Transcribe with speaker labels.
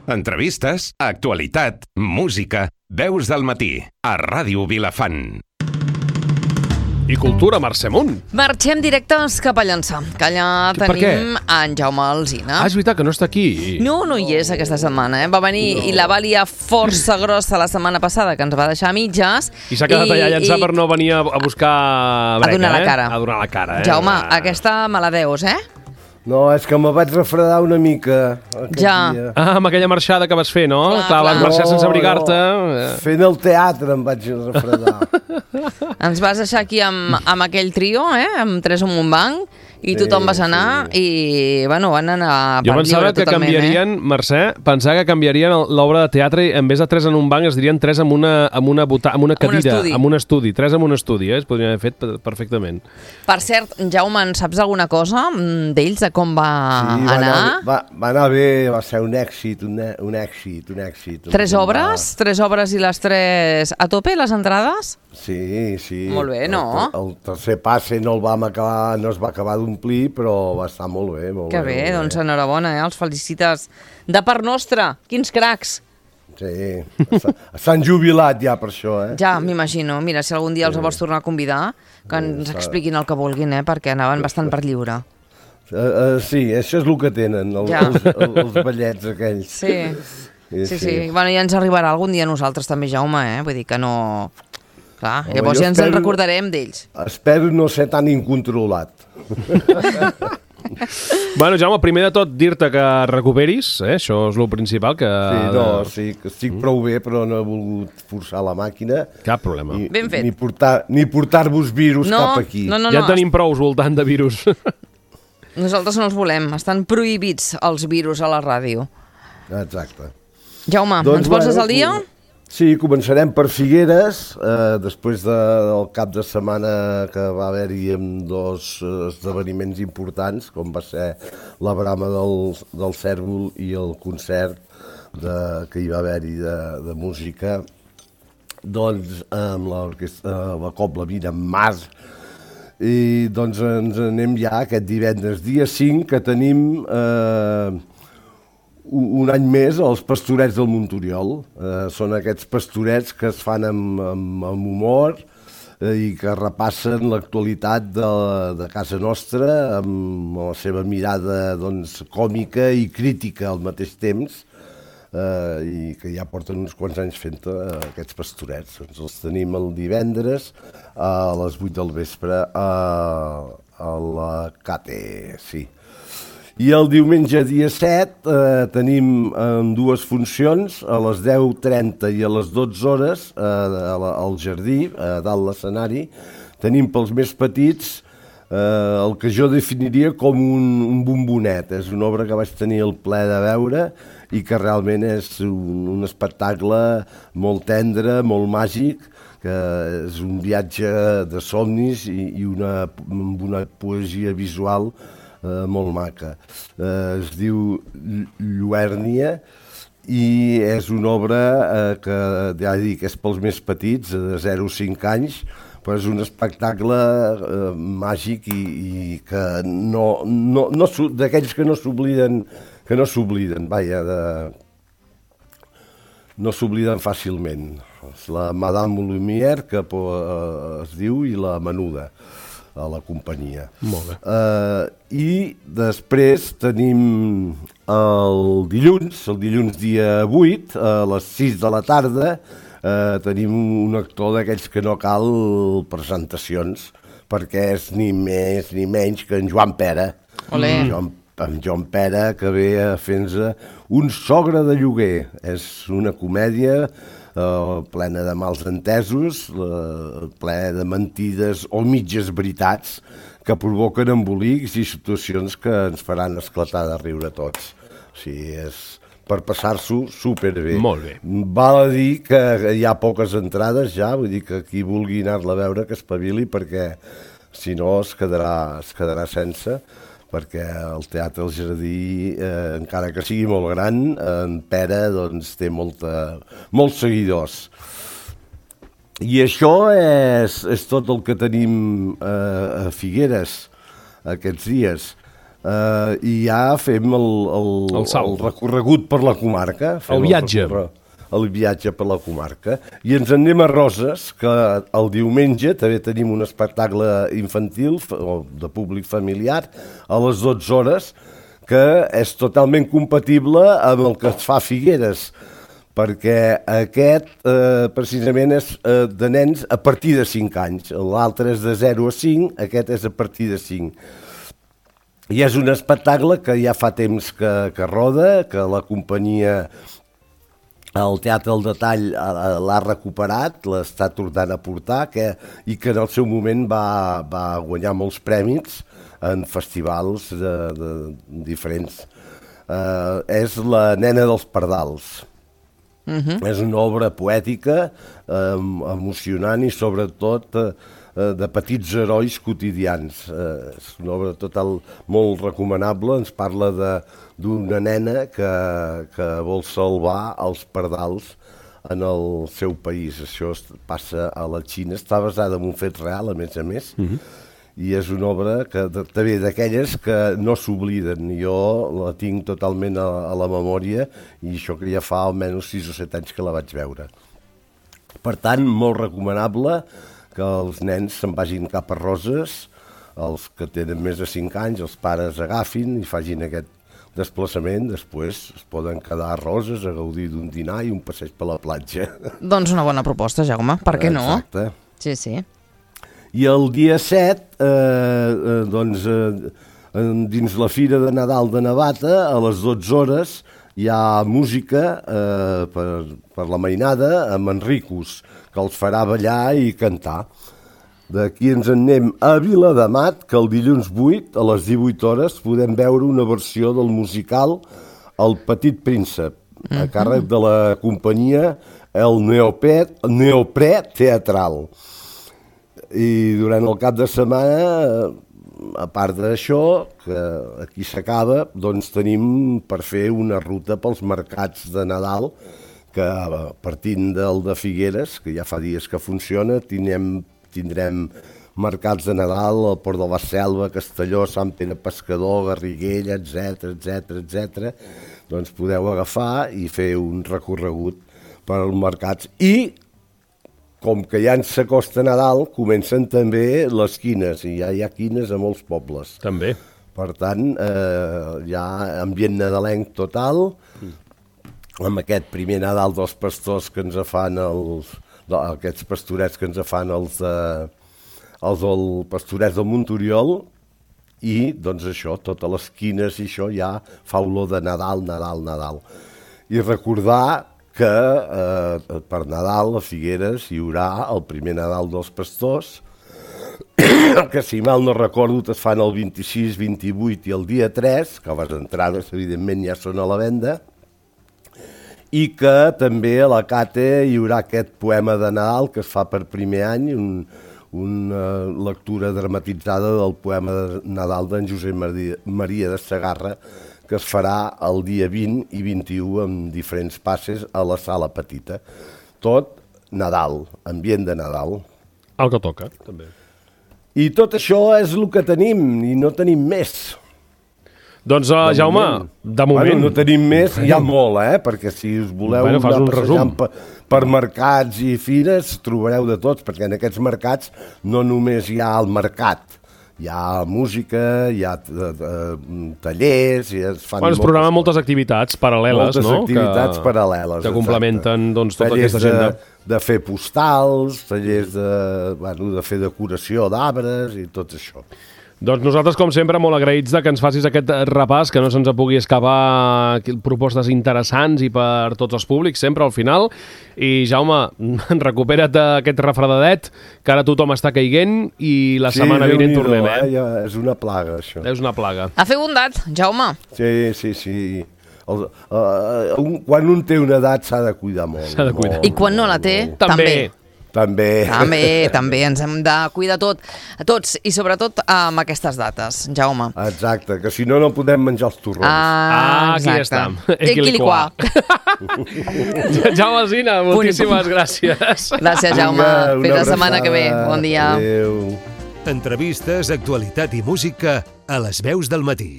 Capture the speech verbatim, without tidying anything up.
Speaker 1: Entrevistes, actualitat, música, veus del matí, a Ràdio Vilafant.
Speaker 2: I cultura, Mercè Munt.
Speaker 3: Marxem directes cap a Llançà, que allà
Speaker 2: Per
Speaker 3: tenim en Jaume Alsina.
Speaker 2: Ah, és veritat que no està aquí.
Speaker 3: No, no hi és aquesta setmana, eh? Va venir no. i la va liar força grossa la setmana passada, que ens va deixar a mitges.
Speaker 2: I s'ha quedat allà a Llançà i... per no venir a, a buscar breca,
Speaker 3: a donar la cara.
Speaker 2: Eh? A donar la cara, eh?
Speaker 3: Jaume, aquesta me la deus, eh?
Speaker 4: No, és que me vaig refredar una mica aquest
Speaker 3: ja.
Speaker 4: dia.
Speaker 2: Ah, amb aquella marxada que vas fer, no?
Speaker 3: Clar,
Speaker 2: clar, vas
Speaker 3: clar.
Speaker 2: marxar
Speaker 4: no,
Speaker 2: sense abrigar-te.
Speaker 4: No. Fent el teatre em vaig refredar.
Speaker 3: Ens vas deixar aquí amb, amb aquell trio, eh? Amb tres en un banc, i sí, tothom vas anar, sí. i, bueno, van anar per
Speaker 2: jo pensava
Speaker 3: lliure
Speaker 2: que
Speaker 3: totalment,
Speaker 2: canviarien,
Speaker 3: eh?
Speaker 2: Mercè, pensava que canviarien l'obra de teatre i en vez de tres en un banc es dirien tres en una, amb una, buta, amb una cadira,
Speaker 3: amb un,
Speaker 2: amb un estudi. Tres en un estudi, eh? Es podrien haver fet perfectament.
Speaker 3: Per cert, Jaume, en saps alguna cosa d'ells, de com va
Speaker 4: sí,
Speaker 3: anar?
Speaker 4: Va anar, va, va anar bé, va ser un èxit, un, un èxit, un èxit.
Speaker 3: Tres obres? Va... Tres obres i les tres a tope, les entrades?
Speaker 4: Sí, sí.
Speaker 3: Molt bé, no?
Speaker 4: El, el tercer passe no el vam acabar, no es va acabar d'omplir, però va estar molt bé, molt
Speaker 3: que
Speaker 4: bé.
Speaker 3: Que bé, doncs enhorabona, eh? Els felicites de part nostra. Quins cracs!
Speaker 4: Sí, s'han jubilat ja per això, eh?
Speaker 3: Ja, m'imagino. Mira, si algun dia els vols tornar a convidar, que ens expliquin el que vulguin, eh? Perquè anaven bastant per lliure.
Speaker 4: Uh, uh, sí, això és el que tenen, el, ja. els, els, els ballets aquells.
Speaker 3: Sí, sí, sí. sí. Bueno, ja ens arribarà algun dia a nosaltres també, Jaume, eh? Vull dir que no... Clar, llavors ja ens en recordarem d'ells.
Speaker 4: Espero no ser tan incontrolat.
Speaker 2: Bueno, Jaume, primer de tot dir-te que recuperis, eh? Això és el principal. Que...
Speaker 4: Sí, no, sí, que estic mm. prou bé, però no he volgut forçar la màquina.
Speaker 2: Cap problema.
Speaker 3: Ni, ben fet.
Speaker 4: Ni portar, ni portar-vos virus
Speaker 3: no,
Speaker 4: cap aquí.
Speaker 3: No, no,
Speaker 2: ja
Speaker 3: no.
Speaker 2: tenim prous voltant de virus.
Speaker 3: Nosaltres no els volem. Estan prohibits els virus a la ràdio.
Speaker 4: Exacte.
Speaker 3: Jaume,
Speaker 4: doncs,
Speaker 3: ens poses
Speaker 4: bueno,
Speaker 3: al dia?
Speaker 4: Sí, començarem per Figueres, eh, després de, del cap de setmana que va haver-hi amb dos esdeveniments importants, com va ser la brama del, del Cèrvol i el concert de, que hi va haver-hi de, de música, doncs amb l'orquestra, la Cobla Vina en Mas, i doncs ens anem ja aquest divendres dia cinc, que tenim... Eh, un any més els Pastorets del Montoriol. Eh, són aquests pastorets que es fan amb, amb, amb humor eh, i que repassen l'actualitat de, de casa nostra amb la seva mirada doncs, còmica i crítica al mateix temps eh, i que ja porten uns quants anys fent eh, aquests pastorets. Doncs els tenim el divendres a les vuit del vespre a, a la Cate, sí. I el diumenge dia set eh, tenim eh, dues funcions, a les deu trenta i a les dotze hores, eh, al jardí, eh, dalt l'escenari. Tenim pels més petits eh, el que jo definiria com un, un bombonet. És una obra que vaig tenir el plaer de veure i que realment és un, un espectacle molt tendre, molt màgic, que és un viatge de somnis i, i una, una poesia visual Uh, molt maca. Uh, es diu Lluèrnia i és una obra uh, que ja dic, és pels més petits, de zero a cinc anys, però és un espectacle uh, màgic i, i que no, no, no d'aquells que no s'obliden, que no s'obliden, vaja, de, no s'obliden fàcilment. És la Madame Lumière, que uh, es diu, i la Menuda, a la companyia.
Speaker 2: Molt bé.
Speaker 4: Uh, I després tenim el dilluns, el dilluns dia vuit, a les sis de la tarda, uh, tenim un actor d'aquells que no cal presentacions, perquè és ni més ni menys que en Joan Pera.
Speaker 3: Olé.
Speaker 4: En Joan, en Joan Pera, que ve a fer-nos un sogre de lloguer. És una comèdia Uh, plena de mals entesos, uh, plena de mentides o mitges veritats que provoquen embolics i situacions que ens faran esclatar de riure tots. O sigui, és per passar-s'ho superbé.
Speaker 2: Molt bé.
Speaker 4: Val a dir que hi ha poques entrades ja, vull dir que qui vulgui anar-la a veure que espavili, perquè si no es quedarà, es quedarà sense, perquè el Teatre El Jardí, eh, encara que sigui molt gran, en Pere doncs, té molta, molts seguidors. I això és, és tot el que tenim eh, a Figueres aquests dies. Uh, I ja fem el, el,
Speaker 2: El salt.
Speaker 4: el recorregut per la comarca. Fem
Speaker 2: El viatge.
Speaker 4: El, recorre, el viatge per la comarca. I ens en anem a Roses, que el diumenge també tenim un espectacle infantil o de públic familiar a les dotze hores, que és totalment compatible amb el que es fa a Figueres, perquè aquest eh, precisament és eh, de nens a partir de cinc anys. L'altre és de zero a cinc, aquest és a partir de cinc. I és un espectacle que ja fa temps que, que roda, que la companyia, el Teatre del Detall l'ha recuperat, l'està tornant a portar, que, i que en el seu moment va, va guanyar molts prèmits en festivals de, de diferents. Uh, és La nena dels pardals. Uh-huh. És una obra poètica, eh, emocionant i sobretot eh, de petits herois quotidians. Eh, és una obra total molt recomanable, ens parla d'una nena que, que vol salvar els pardals en el seu país. Això passa a la Xina, està basada en un fet real, a més a més, uh-huh. i és una obra que també d'aquelles que no s'obliden. Jo la tinc totalment a, a la memòria i això que ja fa almenys sis o set anys que la vaig veure. Per tant, molt recomanable que els nens se'n vagin cap a Roses, els que tenen més de cinc anys, els pares agafin i facin aquest desplaçament, després es poden quedar a Roses a gaudir d'un dinar i un passeig per la platja.
Speaker 3: Doncs una bona proposta, Jaume, per què no?
Speaker 4: Exacte.
Speaker 3: Sí, sí.
Speaker 4: I el dia set, eh, eh, doncs, eh, dins la Fira de Nadal de Navata, a les dotze hores, hi ha música eh, per, per la mainada amb Enricus, que els farà ballar i cantar. D'aquí ens en anem a Viladamat, que el dilluns vuit, a les divuit hores, podem veure una versió del musical El Petit Príncep, a càrrec de la companyia El Neopre, Neoprè Teatral. I durant el cap de setmana, a part d'això, que aquí s'acaba, doncs tenim per fer una ruta pels mercats de Nadal, que partint del de Figueres, que ja fa dies que funciona, tindrem, tindrem mercats de Nadal al Port de la Selva, Castelló, Sant Pere Pescador, Garriguella, etcètera, etcètera, etcètera. Doncs podeu agafar i fer un recorregut per als mercats. I com que ja ens s'acosta Nadal, comencen també les quines, i ja hi ha quines a molts pobles.
Speaker 2: També.
Speaker 4: Per tant, eh, hi ha ambient nadalenc total, amb aquest primer Nadal dels pastors que ens fan els, aquests pastorets que ens fan els, eh, els del pastorets del Montoriol, i doncs això, totes les quines i això ja fa olor de Nadal, Nadal, Nadal. I recordar que eh, per Nadal a Figueres hi haurà el primer Nadal dels pastors, que si mal no recordo es fan el vint-i-sis, vint-i-vuit i el dia tres, que les entrades evidentment ja són a la venda, i que també a la Cate hi haurà aquest poema de Nadal que es fa per primer any, un, una lectura dramatitzada del poema de Nadal d'en Josep Maria de Segarra, que es farà el dia vint i vint-i-u amb diferents passes a la sala petita. Tot Nadal, ambient de Nadal.
Speaker 2: El que toca, també.
Speaker 4: I tot això és el que tenim, i no tenim més.
Speaker 2: Doncs, uh,
Speaker 4: De
Speaker 2: Jaume,
Speaker 4: moment.
Speaker 2: de moment...
Speaker 4: Bueno, no tenim més, hi ha molt, eh? Perquè si us voleu
Speaker 2: Bueno, fas
Speaker 4: anar
Speaker 2: un resum.
Speaker 4: passejant per, per mercats i fires, trobareu de tots, perquè en aquests mercats no només hi ha el mercat, hi ha música, hi ha uh, uh, tallers, i es fan
Speaker 2: Bueno, es programen moltes activitats paral·leles,
Speaker 4: moltes
Speaker 2: no?
Speaker 4: activitats
Speaker 2: que,
Speaker 4: paral·leles.
Speaker 2: Que complementen doncs, tota
Speaker 4: tallers
Speaker 2: aquesta agenda.
Speaker 4: De, de fer postals, tallers de, bueno, de fer decoració d'arbres i tot això.
Speaker 2: Doncs nosaltres, com sempre, molt agraïts de que ens facis aquest repàs, que no se'ns pugui escapar propostes interessants i per tots els públics, sempre al final. I, Jaume, recupera't d'aquest refredadet, que ara tothom està caiguent i la
Speaker 4: Sí,
Speaker 2: setmana vinent
Speaker 4: Déu-n'hi-do,
Speaker 2: tornem, eh?
Speaker 4: eh? Ja, és una plaga, això.
Speaker 2: És una plaga.
Speaker 3: A fer bondat, Jaume.
Speaker 4: Sí, sí, sí. El, uh, un, quan un té una edat s'ha de cuidar molt.
Speaker 2: S'ha de cuidar.
Speaker 4: Molt,
Speaker 3: I quan no la té,
Speaker 4: molt.
Speaker 2: També.
Speaker 3: també.
Speaker 4: També.
Speaker 3: També, també, ens hem de cuidar tot, a tots, i sobretot amb aquestes dates, Jaume.
Speaker 4: Exacte, que si no, no podem menjar els torrons.
Speaker 2: Ah, aquí
Speaker 3: exacte.
Speaker 2: està.
Speaker 3: Equiliquà.
Speaker 2: Jaume Alsina, moltíssimes gràcies.
Speaker 3: Gràcies, Jaume.
Speaker 4: Vinga, una
Speaker 3: Fins la setmana que ve.
Speaker 4: abraçada.
Speaker 3: Bon dia.
Speaker 4: Adéu.
Speaker 5: Entrevistes, actualitat i música a les veus del matí.